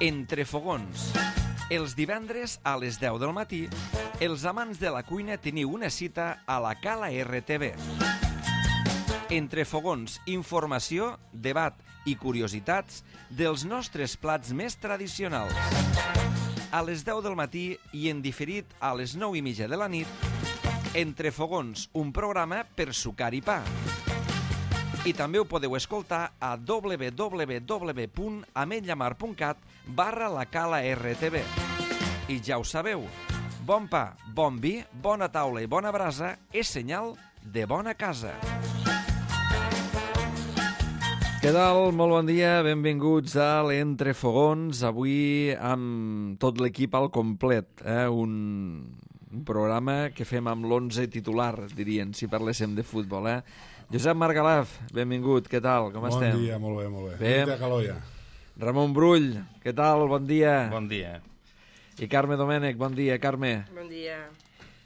Entre fogons. Els divendres a les 10 del matí, els amants de la cuina teniu una cita a la Cala RTV. Entre fogons, informació, debat i curiositats dels nostres plats més tradicionals. A les 10 del matí i en diferit a les 9:30 de la nit, Entre fogons, un programa per sucar i pa. I també ho podeu escoltar a www.ametlllamar.cat/la Cala RTV. I ja ho sabeu, bon pa, bon vi, bona taula i bona brasa és senyal de bona casa. Què tal? Molt bon dia, benvinguts a l'Entre Fogons, avui amb tot l'equip al complet, un programa que fem amb l'11 titular, dirien, si parléssim de futbol, Josep Margalaf, benvingut, què tal, com estem? Bon dia, molt bé. Bé? De calor ja. Ramon Brull, què tal, bon dia? Bon dia. I Carme Domènech, bon dia, Carme. Bon dia.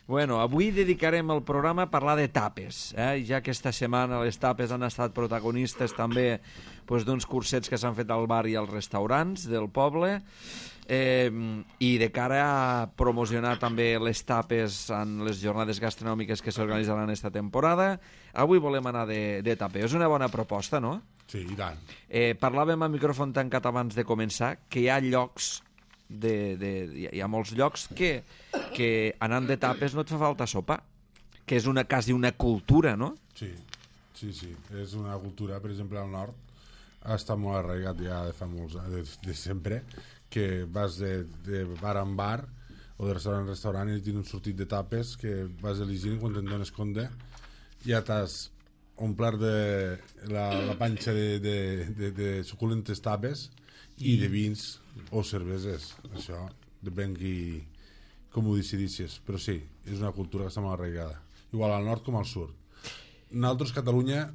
Bueno, avui dedicarem el programa a parlar de tapes, ja que esta setmana les tapes han estat protagonistes també d'uns cursets que s'han fet al bar i als restaurants del poble, i de cara a promocionar també les tapes en les jornades gastronòmiques que s'organitzaran esta temporada, avui volem anar de taper. És una bona proposta, no? Sí, i tant. Parlàvem a micròfon tancat abans de començar que hi ha llocs, hi ha molts llocs que anant de tapes no et fa falta sopa, que és quasi una cultura, no? Sí, és una cultura, per exemple, al nord està molt arraigat ja de fa molts anys, de sempre, que vas de bar en bar o de restaurant en restaurant i tens un sortit de tapes que vas elegint quan te'n dones compte ja t'has omplert de la panxa de suculentes tapes i de vins o cerveses, això depèn com ho decidissis, però sí, és una cultura que està molt arraigada, igual al nord com al sud. Nosaltres, Catalunya,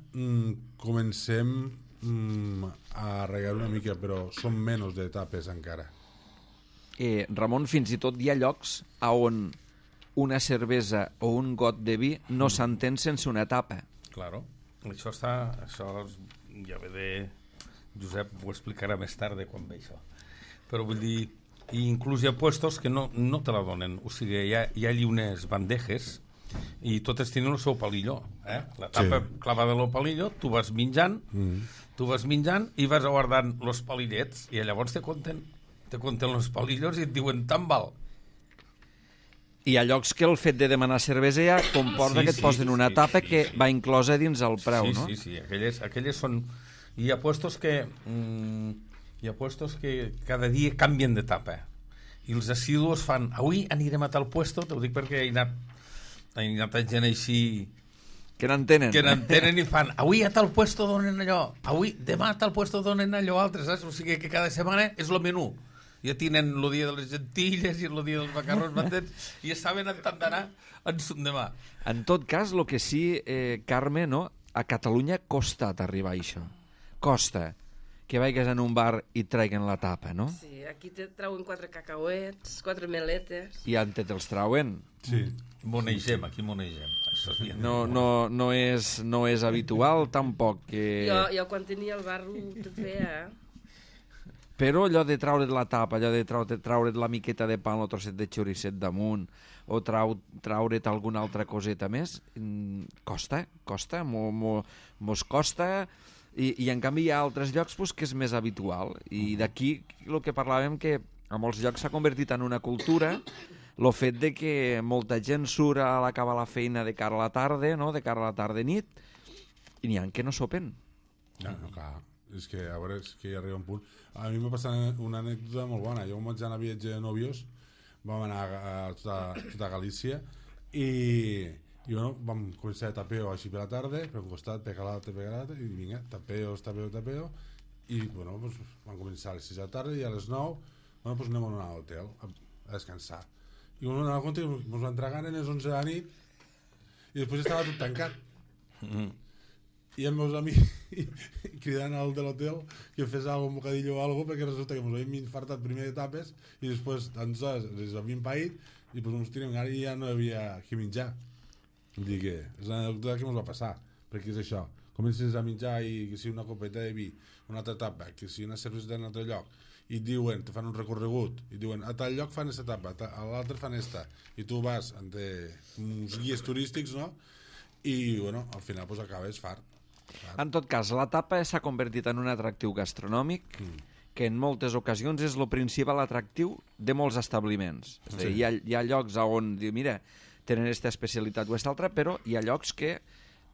comencem a arraigar una mica, però són menys de tapes encara. Ramon, fins i tot hi ha llocs on una cervesa o un got de vi no s'entén sense una tapa. Claro, això ja ve de... Josep ho explicarà més tard quan ve això. Però vull dir, inclús hi ha puestos que no te la donen, o sigui, hi ha allí unes bandejes i totes tenen el seu palillo, la tapa clavada en el palillo, tu vas menjant i vas guardant els palillets i llavors te compten els palillos i et diuen tant val. Hi ha llocs que el fet de demanar cervesa ja comporta que et posen una tapa que va inclosa dins el preu, no? Sí, aquelles són... Hi ha puestos que cada dia canvien de tapa i els assidus fan, avui anirem a tal puesto, t'ho dic perquè he anat gent així que n'entenen i fan, avui a tal puesto donen allò, demà a tal puesto donen allò altre, saps? O sigui que cada setmana és el menú, ja tenen el dia de les gentilles i el dia dels macarrons batents i ja saben on han d'anar en son demà. En tot cas, el que sí, Carme, no? A Catalunya costa arribar a això, costa que vagis en un bar i traiguen la tapa, no? Sí, aquí te trauen 4 cacauets, 4 meletes. I on te'ls trauen? Sí. Aquí monegem. No és habitual, tampoc. Jo quan tenia el bar ho feia, Però allò de traure't la tapa, allò de traure't la miqueta de pa, el trosset de xoricet damunt, o traure't alguna altra coseta més, costa, mos costa... I en canvi hi ha altres llocs que és més habitual, i d'aquí el que parlàvem, que a molts llocs s'ha convertit en una cultura el fet de que molta gent surt a l'acabar la feina de cara a la tarda, no? De cara a la tarda-nit, i n'hi ha que no sopen. No, clar, és que a veure, és que hi arriba un punt. A mi m'ha passat una anècdota molt bona. Jo vaig anar a viatge de nòvios, vam anar a tota Galícia i bueno, vam començar de tapeo així per la tarda, per un costat, per l'altre, i vinga, tapeo, i bueno, pues, vam començar a les 6 de la tarda i a les 9, bueno, pues anem a anar a l'hotel a descansar. I ens vam anar a compte que ens van tragar a les 11 de la nit i després estava tot tancat. I els meus amics cridant al de l'hotel que fes un bocadillo o alguna cosa, perquè resulta que ens havíem infartat primer de tapes i després ens havíem paït i pues ens tirem ara i ja no hi havia que menjar. Vull dir que és una anècdota que ens va passar, perquè és això, comences a menjar i que sigui una copeta de vi, una altra etapa, que sigui una cervesa d'un altre lloc, i et diuen, te fan un recorregut, i diuen, a tal lloc fan aquesta etapa, a l'altre fan esta, i tu vas amb uns guies turístics, no? I, bueno, al final pues, acabes fart. En tot cas, la tapa s'ha convertit en un atractiu gastronòmic que en moltes ocasions és el principal atractiu de molts establiments. És a dir, hi ha llocs on, mira, tenen aquesta especialitat o aquesta altra, però hi ha llocs que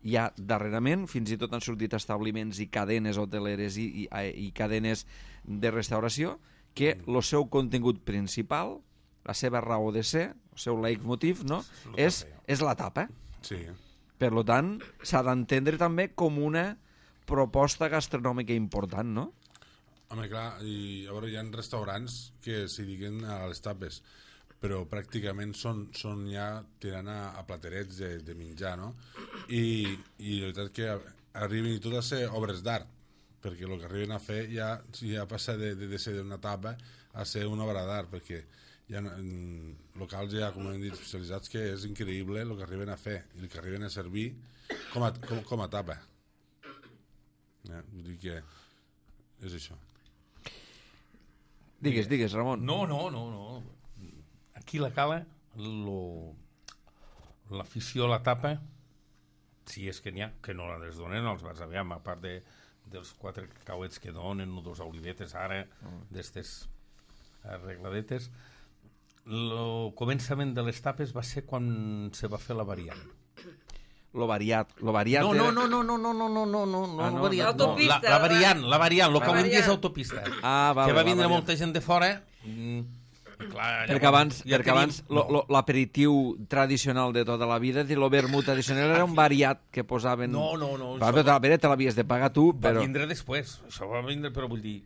hi ha darrerament, fins i tot han sortit establiments i cadenes hoteleres i cadenes de restauració, que el seu contingut principal, la seva raó de ser, el seu leitmotiv, no? és la tapa. Sí. Per tant, s'ha d'entendre també com una proposta gastronòmica important, no? Home, clar, i a veure, hi ha restaurants que s'hi diguen a les tapes, però pràcticament són ja tirant a platerets de menjar, no? I la veritat que arriben i tot a ser obres d'art, perquè el que arriben a fer ja passa de ser una tapa a ser una obra d'art, perquè hi ha locals ja, com hem dit, especialitzats, que és increïble el que arriben a fer i el que arriben a servir com a tapa. Vull dir que és això. Digues, Ramon. No. Aquí la cala, l'afició a la tapa, si és que n'hi ha, que no la desdonen els bars, aviam, a part dels 4 cacauets que donen, o 2 olivetes ara, d'estes arregladetes. El començament de les tapes va ser quan se va fer la variant. Lo variat No, era... L'autopista. La variant, el que avui és autopista. Que va vindre molta gent de fora. Clar, perquè abans l'aperitiu tradicional de tota la vida, el vermut tradicional era un variat que posaven... No. Te l'havies de pagar tu, però... Va vindre després. Això va vindre, però vull dir...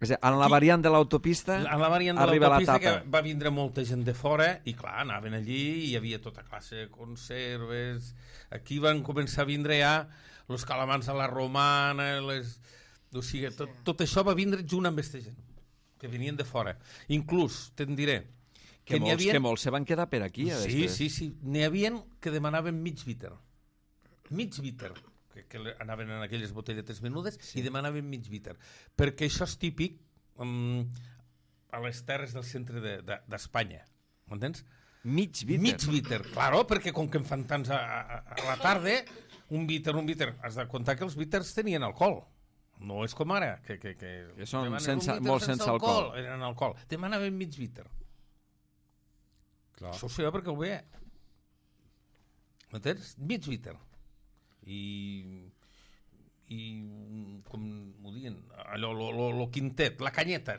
En la variant de l'autopista arriba la tapa. Que va vindre molta gent de fora i clar, anaven allí i hi havia tota classe de conserves. Aquí van començar a vindre ja els calamars a la romana, o sigui, tot això va vindre junt amb aquesta gent que venien de fora. Inclús, te'n diré, que molts se van quedar per aquí. Sí. N'hi havia que demanaven mig víter. Mig víter. Que anaven en aquelles botelletes menudes i demanaven mig víter. Perquè això és típic a les terres del centre d'Espanya. M'entens? Mig víter? Mig víter, claro, perquè com que en fan tants a la tarda, un víter. Has de comptar que els víters tenien alcohol. No és com ara, que són molt sense alcohol. Eren alcohol. Demanaven mig víter. Clar. Això ho sé perquè ho veia. M'entens? Mig víter. I com ho diuen, allò, lo quintet, la canyeta,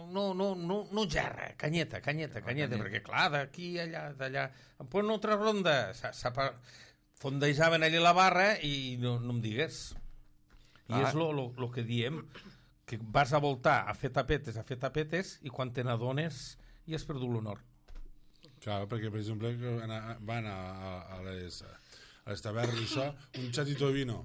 no gerra, canyeta, perquè clar, d'aquí, allà, d'allà, em posen una altra ronda, fondejaven allà la barra i no em digues. I és lo que diem, que vas a voltar a fer tapetes, i quan te n'adones ja has perdut l'honor. Clar, perquè, per exemple, van a les tavernes i això, un xatito de vino.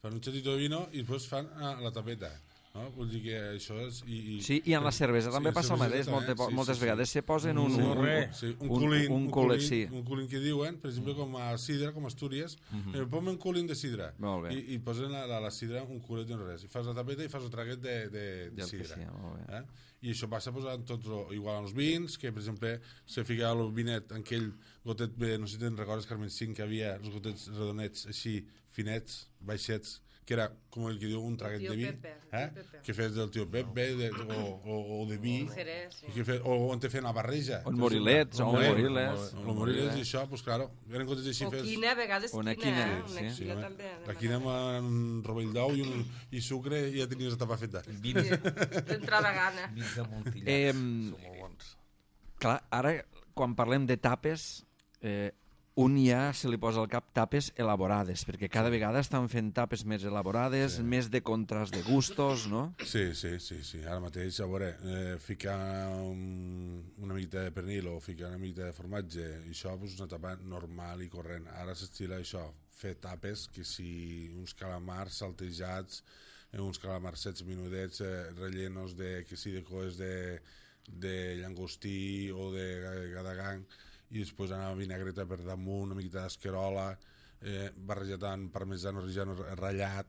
Fan un xatito de vino i després fan la tapeta. No? Vull dir que això és... Sí, i en la cervesa també passa el mateix. Moltes vegades se posen un culín que diuen, per exemple, com a sidra, com a Astúries, posen un culín de sidra i posen a la sidra un culet de res. I fas la tapeta i fas un traguet de sidra. I això passa en tots, igual als vins, que per exemple se fica el vinet en aquell gotet, no sé si te'n recordes, Carmen, que havia els gotets redonets així, finets, baixets, que era, com el que diu, un traguet de vi, que fes del tio Pepe o de vi, o on te feien la barreja. O morilets. O morilets i això, doncs claro, eren gotes així fes... O quina, a vegades quina. La quina amb un rovell d'ou i sucre i ja tenies la tapa feta. D'entrada gana. Vins de Montillà, són molt bons. Clar, ara, quan parlem de tapes, un ja se li posa al cap tapes elaborades, perquè cada vegada estan fent tapes més elaborades, més de contrast de gustos, no? Sí. Ara mateix, a veure, ficar una miqueta de pernil o ficar una miqueta de formatge, i això és una tapa normal i corrent. Ara s'estila això, fer tapes, que si uns calamars saltejats, uns calamarsets menudets, rellenos que si de coes de llangostí o de gadagang, i després anar a vinagreta per damunt, una miqueta d'esquerola, barrejat amb parmesano reggiano ratllat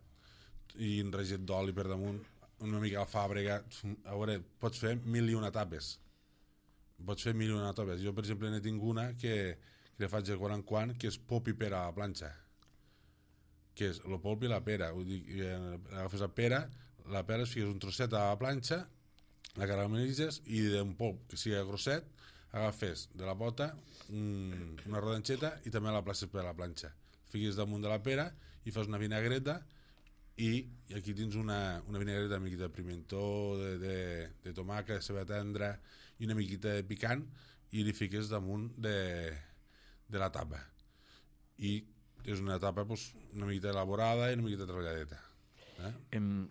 i enregit d'oli per damunt, una mica alfàbrega. A veure, pots fer 1001 tapes. Jo, per exemple, n'he tingut una que la faig de quan en quan, que és pop i pera a la planxa. Que és el polp i la pera. Vull dir, agafes la pera es fiques un trosset a la planxa, la caramelitzes i d'un polp que sigui grosset agafes de la pota una rodanxeta i també la places per a la planxa. Fiques damunt de la pera i fas una vinagreta i aquí tens una vinagreta amb miqueta de pimentó, de tomàquet, de ceba tendra i una miqueta de picant i li fiques damunt de la tapa. I és una tapa una miqueta elaborada i una miqueta treballadeta.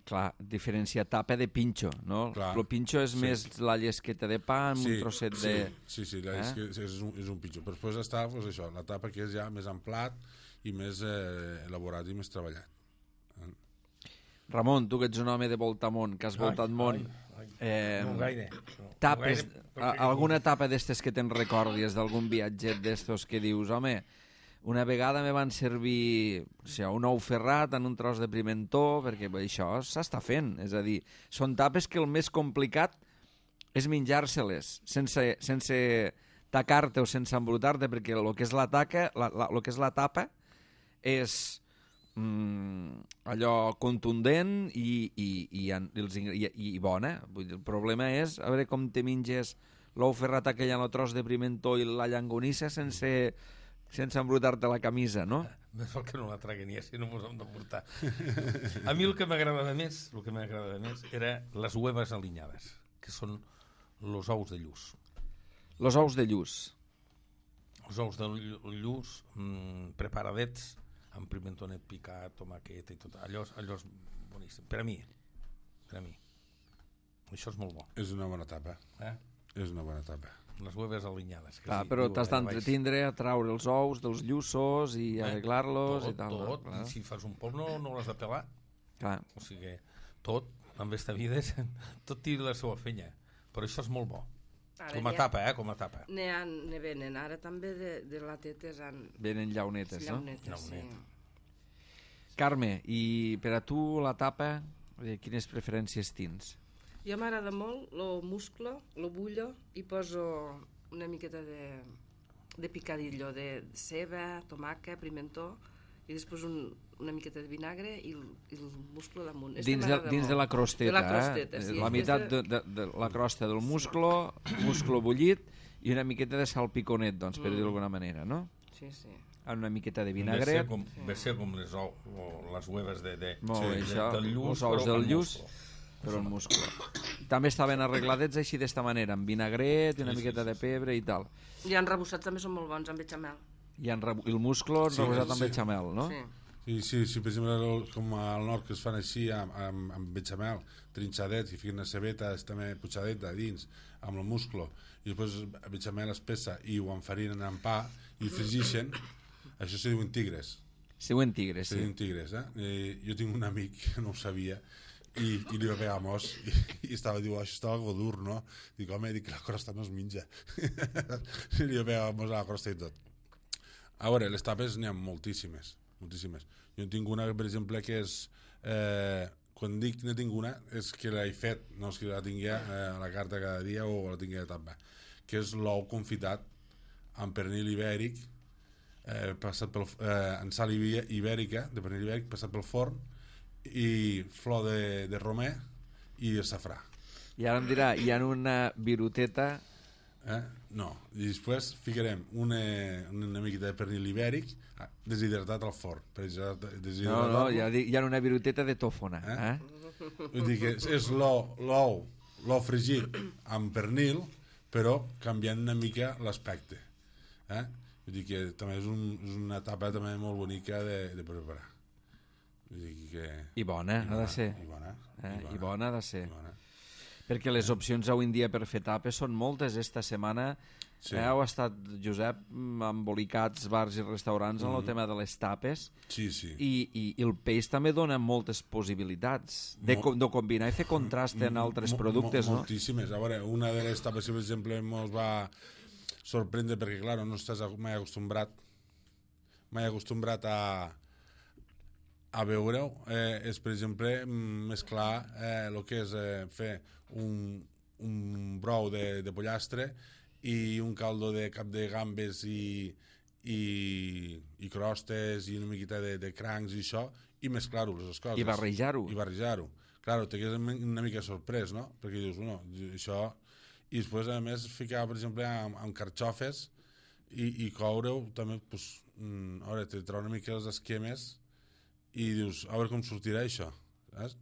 Clar, diferenciar tapa de pinxo, no? El pinxo és més la llesqueta de pa amb un trosset de... Sí, és un pinxo. Però després està això, la tapa que és ja més en plat i més elaborat i més treballat. Ramon, tu que ets un home de voltamont, que has voltat món, no gaire. Tapes, alguna tapa d'estes que te'n recordis d'algun viatget d'estos que dius, home, una vegada me van servir un ou ferrat en un tros de pimentó, perquè això s'està fent, és a dir, són tapes que el més complicat és menjar-se-les sense tacar-te o sense embrutar-te, perquè el que és la tapa és allò contundent i bona. Vull dir, el problema és a veure com te menges l'ou ferrat aquell en el tros de pimentó i la llangonissa sense embrutar-te la camisa, no? Més val que no la traguen ja, si no mos hem d'emportar. A mi el que m'agradava més era les huevas aliñades, que són los ous de lluç. Los ous de lluç. Els ous de lluç preparadets amb pimentonet picat, tomaqueta i tot. Allò és boníssim. Per a mi. Això és molt bo. És una bona tapa. És una bona tapa. Les hueves aliñades. Clar, però t'has d'entretindre a traure els ous dels lluços i arreglar-los i tal. Tot. I si fas un polp no l'has de pelar. Clar. O sigui, tot, en esta vida, tot té la seva fenya. Però això és molt bo. Com a tapa, com a tapa. Ne venen ara també de latetes. Venen llaunetes, no? Sí. Carme, i per a tu la tapa, quines preferències tens? Jo m'agrada molt el musclo, el bullo, i poso una miqueta de picadillo, de ceba, tomàquet, pimentó, i després una miqueta de vinagre i el musclo damunt. Dins de la crosteta, de la crosteta, sí. La meitat de la crosta del musclo bullit i una miqueta de salpiconet, doncs, per dir-ho d'alguna manera, no? Sí. Amb una miqueta de vinagret. Ve ser com les hueves del els lluç, ous del lluç, però el musclo. També estaven arregladets així d'esta manera, amb vinagret, una miqueta de pebre i tal. I enrebossats també són molt bons, amb bechamel. I el musclo enrebossat amb bechamel, no? Sí, per exemple, com al nord que es fan així amb bechamel, trinxadets, i fiquen una cebeta també putxadeta dins, amb el musclo, i després el bechamel espessa i ho enfarinen amb pa i fregixen, això se diuen tigres. Se diuen tigres, sí. Se diuen tigres, jo tinc un amic que no ho sabia i li va pegar mos i diu, això estava algo dur, no? Dic, home, la crosta no es menja. I li va pegar mos a la crosta i tot. A veure, les tapes n'hi ha moltíssimes. Jo en tinc una, per exemple, que és... quan dic ne tinc una, és que l'he fet, no és que la tingui a la carta cada dia o la tingui a tapa, que és l'ou confitat amb pernil ibèric, passat en sal ibèrica, de pernil ibèric, passat pel forn, i flor de romer i el safrà. I ara em dirà, hi ha una viruteta... No, i després ficarem una miqueta de pernil ibèric deshidratat al forn. No, hi ha una viruteta de tòfona. Vull dir que és l'ou fregit amb pernil, però canviant una mica l'aspecte. Vull dir que també és una etapa també molt bonica de preparar. Vull dir que... I bona, ha de ser. I bona ha de ser. Perquè les opcions avui en dia per fer tapes són moltes. Esta setmana heu estat, Josep, embolicats bars i restaurants en el tema de les tapes. Sí. I el peix també dona moltes possibilitats de combinar i fer contrast en altres productes, no? Moltíssimes. A veure, una de les tapes, per exemple, ens va sorprendre perquè, clar, no estàs mai acostumbrat. mai acostumbrat a veure-ho, és, per exemple, mesclar el que és fer un brou de pollastre i un caldo de cap de gambes i crostes i una miqueta de crancs i això, i mesclar-ho, les coses. I barrejar-ho. Claro, te quedes una mica sorprès, no? Perquè dius, bueno, això... I després, a més, ficar, per exemple, amb carxofes i coure-ho, també, pues, a veure, te trau una mica els esquemes i dius, a veure com sortirà això, saps?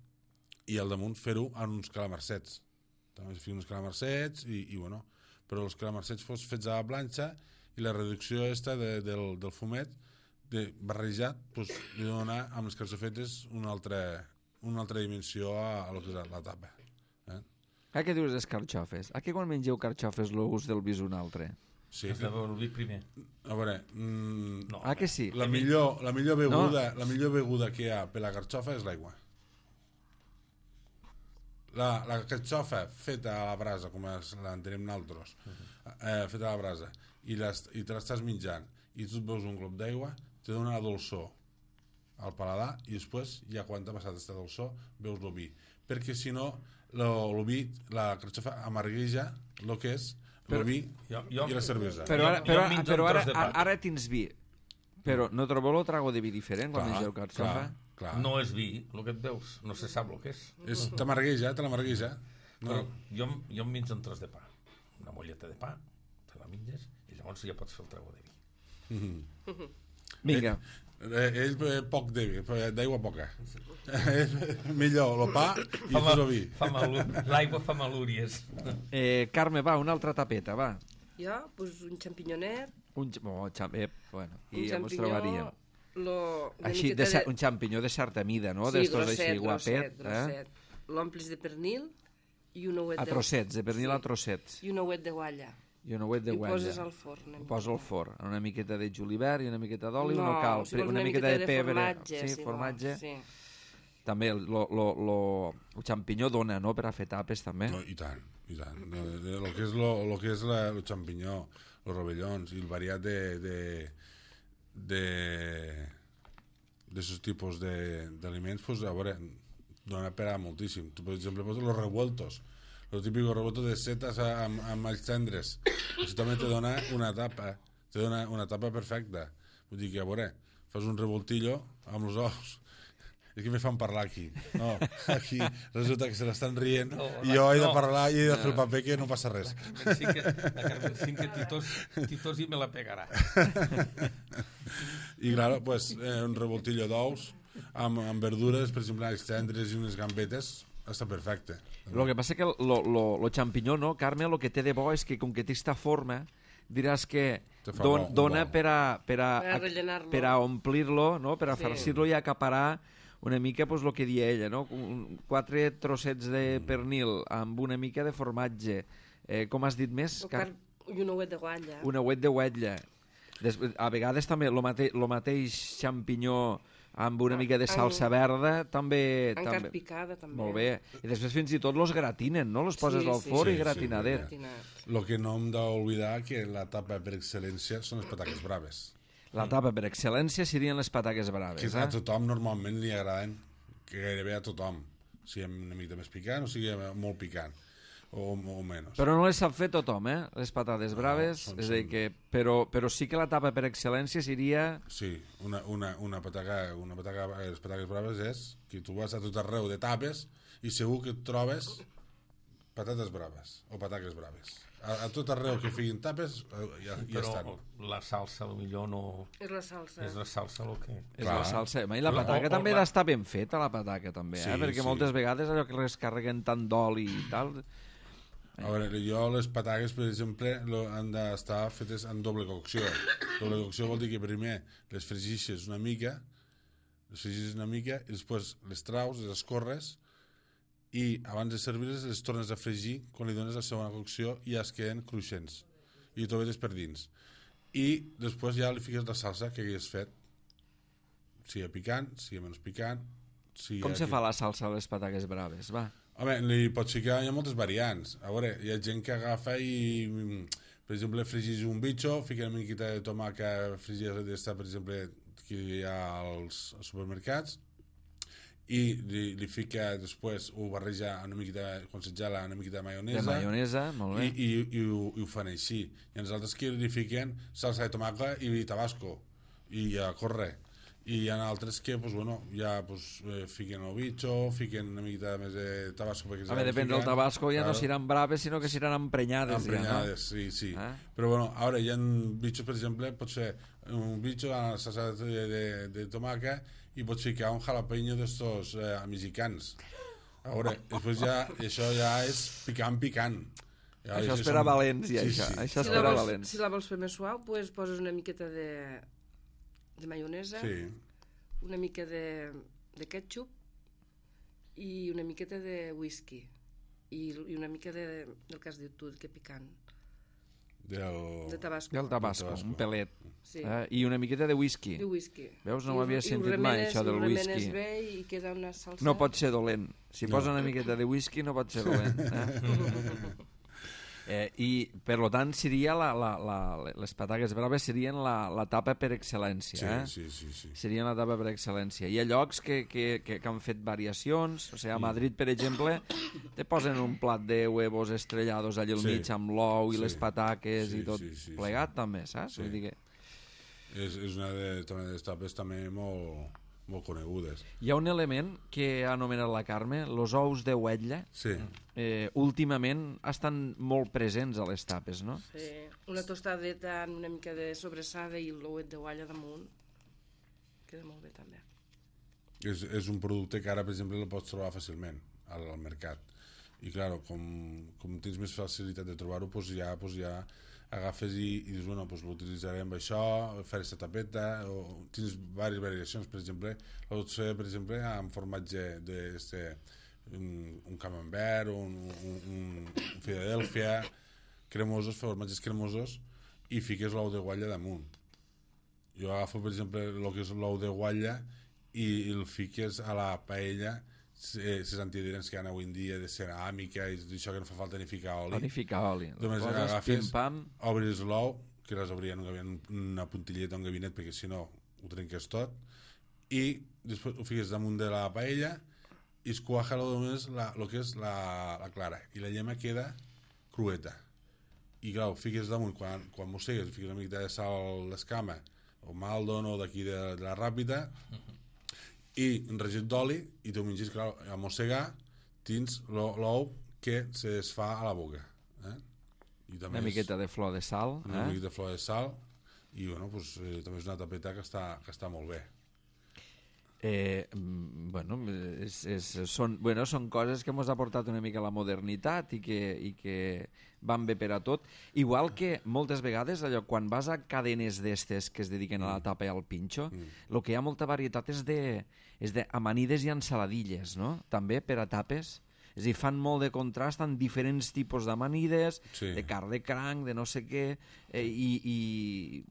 I al damunt fer-ho en uns calamarsets. També ficar uns calamarsets i bueno, però els calamarsets fets a la planxa i la reducció del fumet barrejat, pues, li dona amb les carxofetes una altra dimensió a lo que és la tapa. Què dius dels carxofes? A què quan mengeu carxofes l'ús del vi és un altre? Sí. Has de beure el vi primer. A veure, No, que sí? la millor beguda que hi ha per la carxofa és l'aigua. La carxofa feta a la brasa, com l'entenem nosaltres, feta a la brasa, i te l'estàs menjant, i tu et veus un glop d'aigua, te dona la dolçor al paladar, i després, ja quan t'ha passat aquesta dolçor, veus el vi. Perquè si no, el vi, la carxofa amargueja el que és el vi i la cervesa. Però ara tens vi. Però no trobeu el trago de vi diferent quan mengeu carxofa? Clar. No és vi, el que et veus. No se sap el que és. T'amargueja. No. Jo em menjo un tros de pa. Una molleta de pa, te la menges, i llavors ja pots fer el trago de vi. Vinga. Ell poc d'aigua poca. Millor el pa i el vi. L'aigua fa malúries. Carme, va, una altra tapeta, va. Jo, pues, un xampiñonet. Bueno, i ja Un ens trobaríem. Així, un xampinyó de certa mida, no? Sí, D'estos així, guapet. grosset. L'omplis de pernil i un ouet A trossets, de pernil a trossets. I un ouet de gualla. I un ouet de I ho guatlla. poses al forn. Ho poso al forn. Una miqueta de julivert i una miqueta d'oli, No, no cal. si vols una miqueta de pebre. formatge. Sí, si formatge. vols, sí. També el xampinyó dona, no?, per a fer tapes, també. No, i tant. El que és el xampinyó, els rovellons i el variat d'aquests tipus d'aliments, pues, a veure, dona per a moltíssim. Tu, per exemple, poses los revueltos, el típico revuelto de setas amb els tendres. Això també te dona una tapa perfecta. Vull dir que, a veure, fas un revoltillo amb els ous. És que me fan parlar aquí. No, aquí resulta que se l'estan rient i jo he de parlar i he de fer el paper que no passa res. La Carmen sí que titos i me la pegarà. I, clar, pues, un revoltillo d'ous amb verdures, per exemple, els tendres i unes gambetes, està perfecte. El que passa que el xampinyó, no, Carme, el que té de bo és que com que té esta forma, diràs que dona per a omplir-lo, no? Per a farcir-lo i acaparar una mica, pues, el que dia ella, no? 4 trossets de pernil amb una mica de formatge. Com has dit més? I un ouet de guatlla. Un ouet de guatlla. A vegades també el mateix xampinyó amb una mica de salsa verda també... Encara picada, també. Molt bé. I després fins i tot los gratinen, no? Los poses al forn i gratinadet. El que no hem d'oblidar que la tapa per excel·lència són les pataques braves. La tapa per excel·lència serien les pataques braves. Que a tothom normalment li agraden, que gairebé a tothom. Sigui una mica més picant o sigui molt picant. O menys. Però no les sap fer tothom, les patates braves. És a dir que, però sí que la tapa per excel·lència seria... Sí, una pataca, les pataques braves és que tu vas a tot arreu de tapes i segur que et trobes patates braves o pataques braves. A tot arreu que figuin tapes ja estan. Però la salsa potser no... És la salsa. És la salsa el que... És la salsa. I la pataca també ha d'estar ben feta, la pataca també, perquè moltes vegades allò que les carreguen tant d'oli i tal... A veure, jo les pataques, per exemple, han d'estar fetes en doble cocció. Doble cocció vol dir que primer les fregixes una mica i després les traus, les escorres i abans de servir-les les tornes a fregir quan li dones la segona cocció i ja es queden cruixents i t'ho vedes per dins. I després ja li fiques la salsa que hagués fet, sigui picant, sigui menys picant. Com se fa la salsa a les pataques braves? Va. Home, li pots ficar, hi ha moltes variants. A veure, hi ha gent que agafa i Per exemple, fregis un bitxo, fica una miqueta de tomàquet fregida d'esta, per exemple, que hi ha als supermercats, i li fica després, ho barreja una miqueta, quan se gela, una miqueta de maionesa. De maionesa, molt bé. I ho fan així. I els altres que li fiquen salsa de tomàquet i tabasco. I ja corre. I hi ha altres que, pues, bueno, ja pues, fiquen el bitxo, fiquen una miqueta més de tabasco. Depèn del tabasco, ja no seran braves, sinó que seran emprenyades. Emprenyades, ja, no? Sí. Però, bueno, ara hi ha bitxos, per exemple, pot ser un bitxo a la salsa de tomàquet i pots ficar un jalapeño d'estos mexicans. A veure, després ja, això ja és picant. Ja, això és per a valents, ja, sí. Això és per a valents. Si la vols fer més suau, pues, poses una miqueta de maionesa, una mica de ketchup i una miqueta de whisky i una mica del que has dit tu, que picant. De tabasco. Del tabasco, un pelet. Sí. I una miqueta de whisky. Veus, no m'havia sentit mai això del whisky. I ho remenes bé i queda una salsa... No pot ser dolent. Si posa una miqueta de whisky no pot ser dolent. I, per tant, seria les pataques braves serien la tapa per excel·lència. Sí. Serien la tapa per excel·lència. Hi ha llocs que han fet variacions. O sigui, a Madrid, per exemple, te posen un plat de huevos estrellados allà al mig amb l'ou i les pataques i tot plegat, també, saps? Vull dir que... És una de les tapes també molt conegudes. Hi ha un element que ha anomenat la Carme, els ous de huetlla. Sí. Últimament estan molt presents a les tapes, no? Sí, una tostadeta amb una mica de sobrassada i l'ouet de gualla damunt. Queda molt bé, també. És un producte que ara, per exemple, el pots trobar fàcilment al mercat. I, clar, com tens més facilitat de trobar-ho, doncs ja agafes i dius, bueno, doncs l'utilitzaré amb això, fer aquesta tapeta, o tens diverses variacions, per exemple, la pots fer, per exemple, amb formatge un camembert, un Philadelphia, cremosos, formatges cremosos, i fiques l'ou de guatlla damunt. Jo agafo, per exemple, el que és l'ou de guatlla i el fiques a la paella, les antiadherents que hi ha avui en dia de ceràmica i això que no fa falta ni ficar oli. Només agafes, obris l'ou, que les obrien una puntilleta, un gabinet, perquè si no ho trenques tot, i després ho fiques damunt de la paella i es cuaja només el que és la clara, i la llema queda crueta. I clar, ho fiques damunt, quan mossegues, fiques una mica de sal d'escama, o Maldon, o d'aquí de la Ràpita, i un regit d'oli, i tu mengis, clar, a mossegar, tens l'ou que se desfà a la boca. I també una miqueta de flor de sal. Una miqueta de flor de sal, i bueno, pues, també és una tapeta que està molt bé. Són coses que ens ha portat una mica la modernitat i que van bé per a tot. Igual que moltes vegades, allò, quan vas a cadenes d'estes que es dediquen a la tapa i al pinxo, el que hi ha molta varietat és d'amanides i ensaladilles, no? També per a tapes. És a dir, fan molt de contrast amb diferents tipus d'amanides, de carn de cranc, de no sé què, i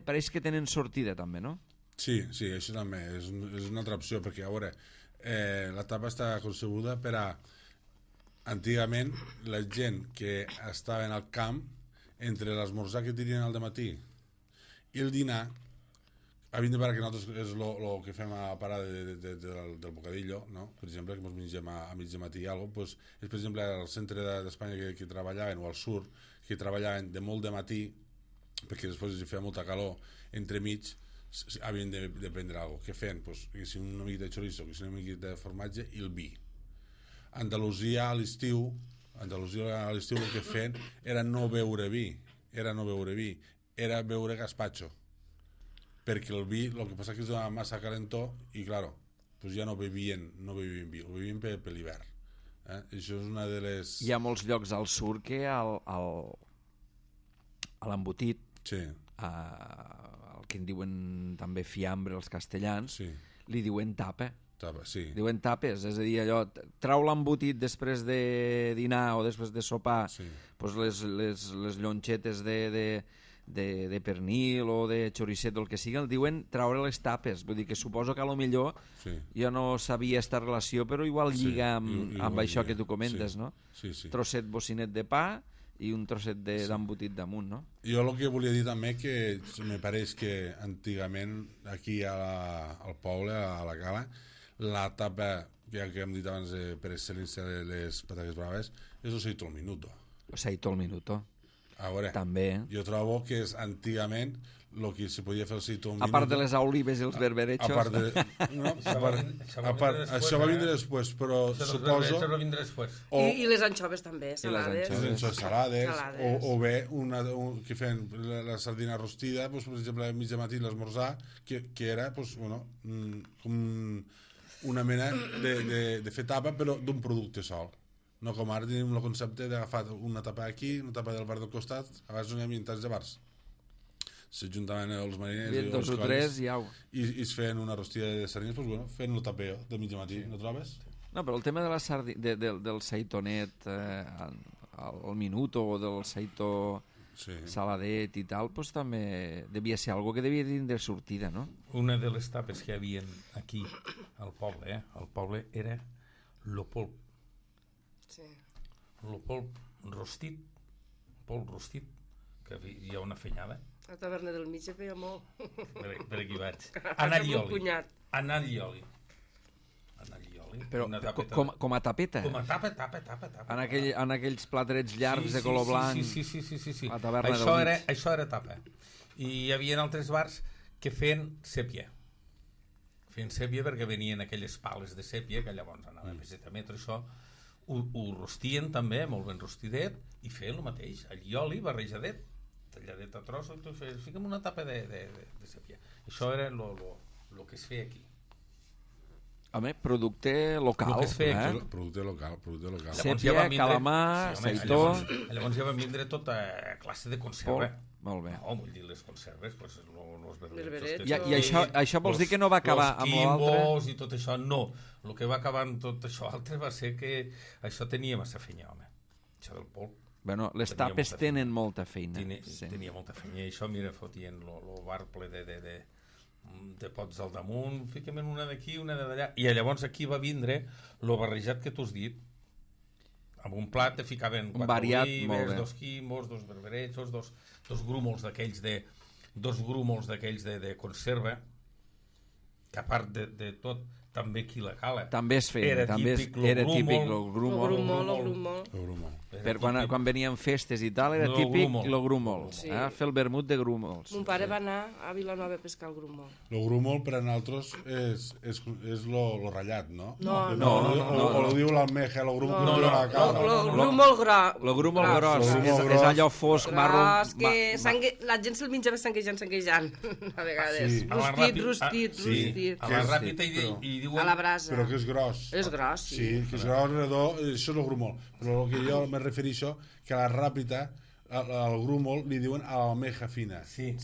pareix que tenen sortida també, no? Sí, això també és una altra opció, perquè a veure, la tapa està concebuda per a, antigament, la gent que estava en el camp, entre l'esmorzar que tenien al dematí i el dinar, havien de parar, que nosaltres és el que fem a parar del bocadillo, no? Per exemple, que ens mengem a mig de matí i alguna cosa, és per exemple al centre d'Espanya que treballaven, o al sud, que treballaven de molt de matí, perquè després hi feia molta calor, entremig, havien de prendre alguna cosa. Què feien? Que si una miqueta de chorizo, que si una miqueta de formatge i el vi. Andalusia a l'estiu el que feien era no beure vi, era beure gazpacho, perquè el vi, el que passa que és una massa calentó i, clar, pues ja no bevien vi, ho bevien per l'hivern. Això és una de les... Hi ha molts llocs al sud que a l'embotit, el que en diuen també fiambre els castellans, li diuen tapa. Diuen tapes, és a dir, allò, trau l'embotit després de dinar o després de sopar, pues les llonxetes de pernil o de xoricet o el que sigui, el diuen traure les tapes. Vull dir que suposo que a lo millor jo no sabia esta relació, però igual lliga amb això que tu comentes, no? Trosset bocinet de pa, i un trosset d'embotit damunt, no? Jo el que volia dir també que me pareix que antigament aquí al poble, a la cala, la tapa que hem dit abans per excel·lència de les patates braves és el seito al minuto. El seito al minuto. A veure, També. jo trobo que és antigament el que se podia fer el seito al A minuto. part de les olives i els berberechos. A part de... No, això va vindre després, però suposo... Això va vindre després. I les anxoves també, salades. Les salades. O bé que feien la sardina rostida, doncs, per exemple, a mitja matí l'esmorzar, que era doncs, bueno, com una mena de fer tapa, però d'un producte sol. No com ara tenim el concepte d'agafar una tapa aquí, una tapa del bar del costat, abans no hi havia tants de bars. S'ajuntaven els mariners Dos o tres i au. i es feien una rostida de sardines, doncs, bueno, feien el tapeo de mitja matí, no trobes? No, però el tema de la del seitonet al minuto o del seito saladet i tal, doncs també devia ser algo que devia tindre sortida, no? Una de les tapes que hi havia aquí al poble era lo polp. Sí. Lo polp rostit, que hi ha una fenyada. A la taverna del mig se feia molt. Per aquí vaig. Anar i oli. Cunyat. Anar i oli. Però Una tapeta. com a tapeta? Com a tapa. En aquells platerets llargs de color blanc. Sí. A taverna del mig. Això era tapa. I hi havia altres bars que feien sèpia. Perquè venien aquelles pales de sèpia que llavors anava a peseta metro, això ho rostien també, molt ben rostidet, i feien el mateix, allioli barrejadet, talladet a trossos, i tu feies, fica'm una tapa de sèpia. Això era el que es feia aquí. Home, producte local. Lo que es feia aquí. Producte local. Sèpia, calamar, seitó... Llavors ja van vindre tota classe de conserva. Molt bé. No, vull dir, les conserves, doncs, els Berberets. I això vols dir que no va acabar amb l'altre? Els quimbos i tot això, no. El que va acabar amb tot això altre va ser que això tenia massa feina, home. Això del polp. Bueno, les Tenia tapes molta tenen molta feina. Tenia molta feina. I això, mira, fotien el bar ple de pots al damunt, fiquem en una d'aquí, una d'allà. I llavors aquí va vindre el barrejat que tu has dit. Amb un plat te ficaven 4 olives, 2 quimbos, 2 berberechos, dos grúmols d'aquells de conserva, que a part de tot, també aquí la cala. També es feia, era típic el grumol. Per quan venien festes i tal, era típic el grumol. Fer el vermut de grúmols. Mon pare va anar a Vilanova a pescar el grumol. El grumol per a nosaltres és lo ratllat, no? No. O lo diu l'almeja, el grumol que la cala. El grumol gros. El grumol gros és allò fosc, marró... La gent se'l menjava sanguejant, a vegades. Rostit. A la ràpita i diuen... A la brasa. Però que és gros. És gros, sí. Sí, que és gros, redó, això és el grumol. Però el que jo me refereixo, que a la ràpita, al grumol, li diuen a l'almeja fina. Sí.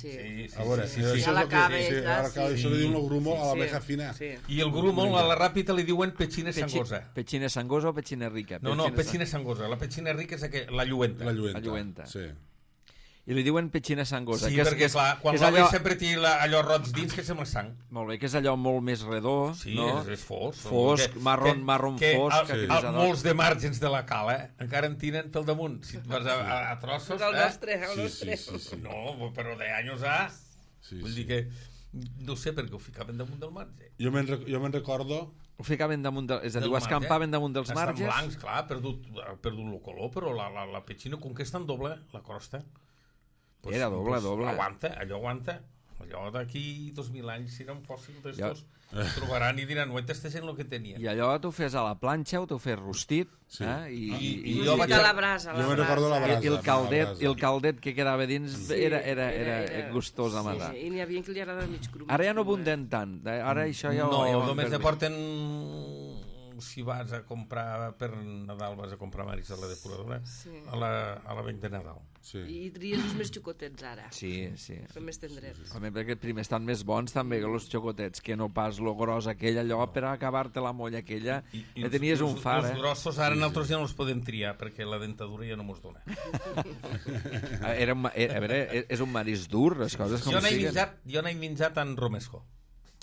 A veure, a la cava, això li diuen el grumol a l'almeja fina. I el grumol a la ràpita li diuen petxina sangosa. Petxina sangosa o petxina rica? No, petxina sangosa. La petxina rica és la lluenta. La lluenta, sí. I li diuen petxina sangosa. Sí, perquè clar, quan l'oli sempre té allò roig dins que sembla sang. Molt bé, que és allò molt més redó, no? Sí, és fosc. Fosc, marron fosc. Molts de màrgens de la cala encara en tenen pel damunt. Si et vas a trossos... El nostre. No, però d'anys a... Vull dir que... No sé per què ho ficaven damunt del marge. Jo me'n recordo... Ho ficaven damunt, és a dir, ho escampaven damunt dels marges. Estan blancs, clar, ha perdut el color, però la petxina, com que és tan doble, la crosta... Era doble. Allò aguanta. Allò d'aquí 2.000 anys, si era un fòssil d'estos, trobaran i diran, no entesten el que tenien. I allò t'ho fes a la planxa o t'ho fes rostit. I jo vaig a la brasa. Jo me'n recordo la brasa. I el caldet que quedava dins era gustós a matar. I n'hi havia que li agradava mig cru. Ara ja no abunden tant. Ara això ja... No, només ne porten... Si vas a comprar per Nadal, vas a comprar maris a la depuradora, a la vent de Nadal. I tries els més xocotets ara. Sí. Són més tendrets. Home, perquè primer estan més bons també que els xocotets, que no pas lo gros aquell, allò per acabar-te la molla aquella, que tenies un far. Els grossos ara nosaltres ja no els podem triar, perquè la dentadura ja no mos dona. A veure, és un marisc dur, les coses com siguen. Jo n'he menjat en romesco,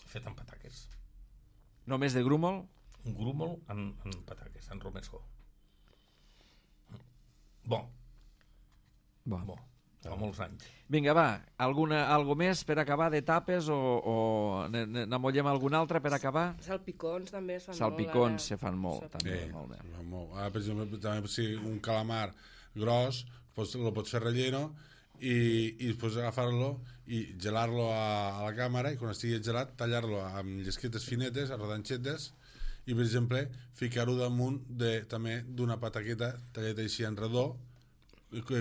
fet amb pataques. Només de grúmol? Un grúmol en pataques, en romesco. Bon. Bo. Fa molts anys. Vinga, va, algo més per acabar de tapes o n'amollem alguna altra per acabar? Salpicons també es fan Salpicons molt. se fan molt, també. Molt bé. Ara, per exemple, també si un calamar gros, lo pots fer relleno i després agafar-lo i gelar-lo a la càmera i quan estigui gelat tallar-lo amb llesquetes finetes, a rodanxetes i, per exemple, ficar-ho damunt també d'una pataqueta talleta així en redó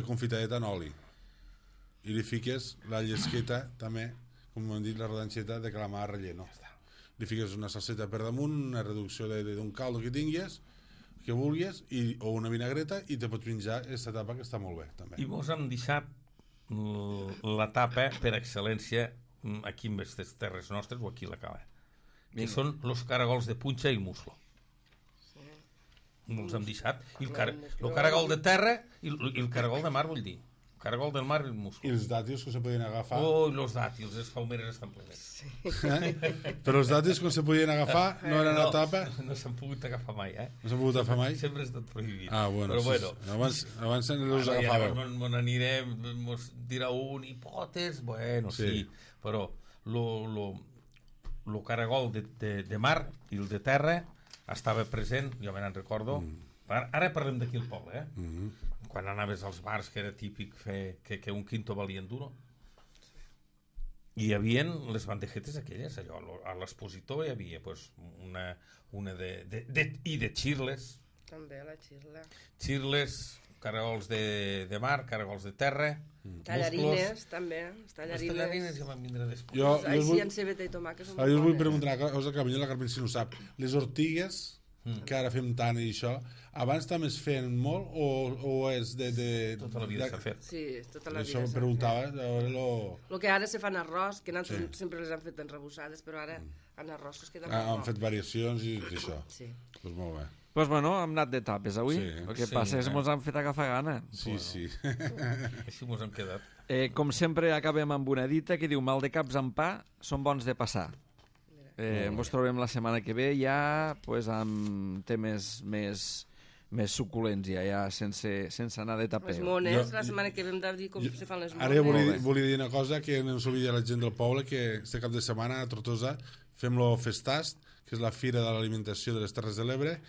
confitadeta en oli i li fiques la llesqueta també, com hem dit, la rodanxeta de calamar relleno. Li fiques una salseta per damunt, una reducció d'un caldo que tinguis, que vulguis, o una vinagreta, i te pots menjar aquesta tapa que està molt bé, també. I vos hem deixat la tapa per excel·lència aquí en aquestes terres nostres o aquí a la cala, que són els caragols de punxa i el muslo. Els hem deixat. I el caragol de terra i el caragol de mar, vull dir. Caragol del mar i el muslo. I els dàtils que se podien agafar... Oh, els dàtils, les palmeres estan plenes. Sí. Però els dàtils que se podien agafar no eren a tapa... No s'han pogut agafar mai, No s'han pogut agafar mai? Sempre ha estat prohibit. Bueno, però sí, bueno. Abans els agafàveu. Ja n'anirem, mos dirà un hipotes, bueno, sí. Però lo caragol de mar i el de terra estava present, jo me n'en recordo. Ara parlem d'aquí al poble, quan anaves als bars, que era típic fer que un quinto valien duro, hi havia les bandejetes aquelles, allò, a l'expositor hi havia pues, una de xirles. També la xirla. Xirles, caragols de mar, caragols de terra, tallarines, també. Les tallarines ja van vindre després. Així en cebeta i tomàquet són molt bones. Jo us vull bones. preguntar una cosa que potser la Carmen si no sap. Les ortigues, que ara fem tant i això, abans també es feien molt o és de... Tota la vida s'ha fet. Sí, tota la vida això s'ha em fet. preguntava. El que ara se fan arròs, que nosaltres sempre les han fet enrebussades, però ara en arròs que es queden Han fet variacions i això. Sí. Doncs molt bé. Doncs bueno, hem anat de tapes avui. Sí. El que passa és que ens han fet agafar gana. Sí, sí. Així mos hem quedat. Com sempre acabem amb una dita que diu mal de caps amb pa són bons de passar. Ens trobem la setmana que ve ja pues, amb temes més suculents ja sense anar de taper. Les mones, la setmana que ve hem de dir com se fan les mones. Ara volia dir una cosa que no s'oblidi la gent del poble, que este cap de setmana a Tortosa fem-lo Festast, que és la Fira de l'Alimentació de les Terres de l'Ebre,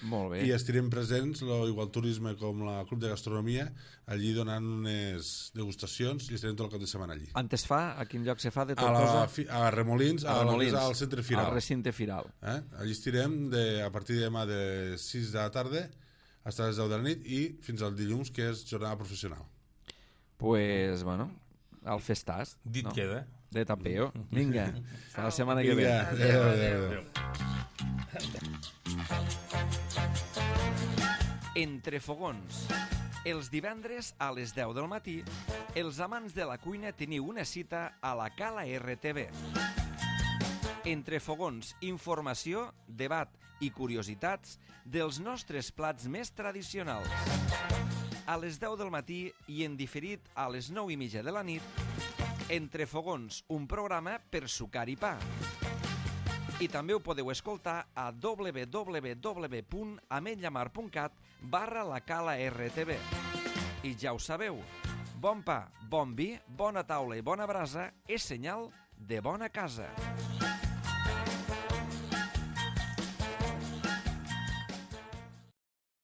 i estirem presents igual turisme com la Club de Gastronomia, allí donant unes degustacions i estirem tot el cap de setmana allí. On es fa? A quin lloc se fa de Tortosa? A Remolins, al centre Firal. Al recinte Firal. Allí estirem a partir de demà de 6 de la tarda fins a les 10 de la nit i fins al dilluns, que és jornada professional. Pues, bueno, al Festast. Dit queda. De tapeo. Vinga, fins la setmana que ve. Adéu. Entre fogons. Els divendres a les 10 del matí, els amants de la cuina teniu una cita a la Cala RTV. Entre fogons, informació, debat i curiositats dels nostres plats més tradicionals. A les 10 del matí i en diferit a les 9:30 de la nit, Entre fogons, un programa per sucar i pa. I també ho podeu escoltar a www.ametlllamar.cat/la Cala RTV. I ja ho sabeu, bon pa, bon vi, bona taula i bona brasa és senyal de bona casa.